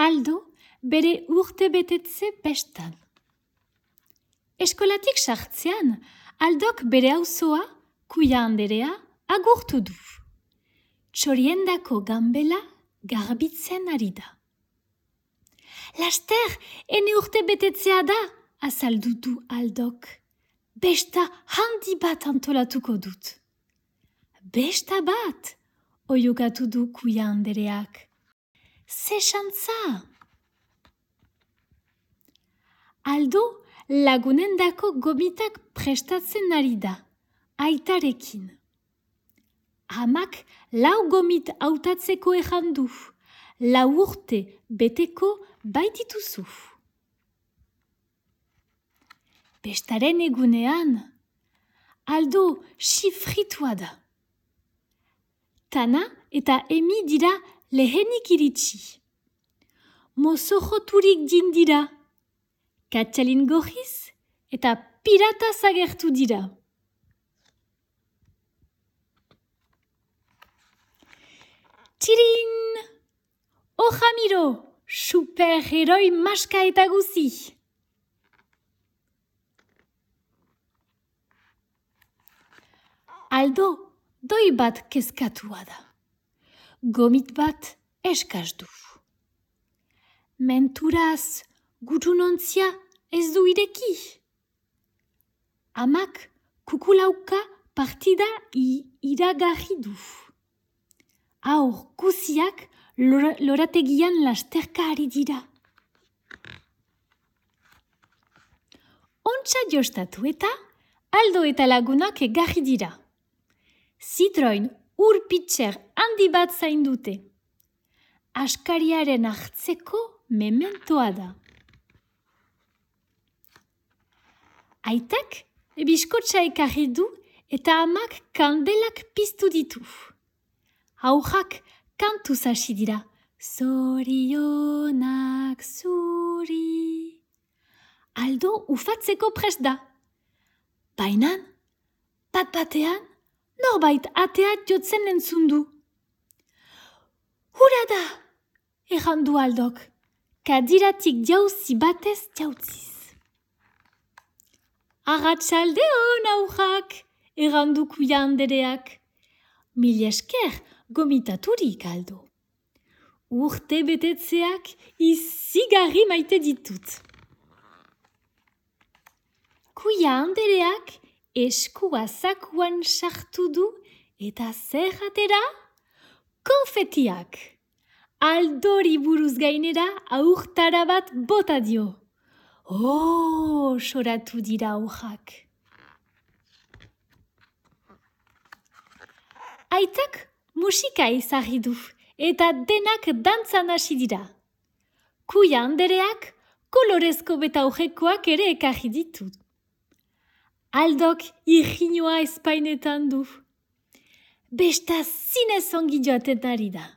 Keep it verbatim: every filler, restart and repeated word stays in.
Aldo bere urte betetze bestan. Eskolatik sartzean, Aldok bere auzoa, Kuia anderea, agurtu du. Txoriendako ganbela garbitzen ari da. Laster, ene urte betetzea da, azaldu du Aldok. Besta handi bat antolatuko dut. Besta bat, oiukatu du Kuia andereak. Ze xantza! Aldo lagunendako gomitak prestatzen ari da, aitarekin. Amak lau gomit hautatzeko ejan du, lau urte beteko baitituzu. Bestaren egunean, Aldo sifritua da. Tana eta Emi dira lehenik iritsi. Mozojoturik dindira, katxalin gohiz eta pirata zagertu dira. Txirin! O Jamiro, superheroi maska eta guzi! Aldo doi bat kezkatua da. Gomit bat eskaz du. Menturaz, gutunontzia ez du ireki. Amak kukulauka partida iragarri du. Aur guziak lorategian lasterka ari dira. Ontsa jostatu eta Aldo eta lagunak egarri dira. Zitroin ur pitxer handi bat zaindute. Askariaren hartzeko mementoa da. Aitak biskotxa ekarri du eta amak kandelak piztu ditu. Haujak kantuz hasi dira. Zorionak zuri. Aldo ufatzeko prest da. Bainan, bat batean, norbait ateat jotzen entzun du. Hura da, errandu Aldok, kadiratik jauzi batez jautziz. Arratsaldeon aujak, errandu Kuia andereak. Mil esker gomitaturik Aldo. Urte betetzeak izigarri maite ditut. Kuia andereak eskua zakuan sartu du eta zer atera? Konfetiak. Aldori buruz gainera aurtara bat bota dio. Oh, soratu dira aujak. Aitak musika ezarri du eta denak dantzan hasi dira. Kuia andereak kolorezko betaujekoak ere ekarri ditut. Aldok irriñoa espainetan du. Besta zinez ongi joaten ari da.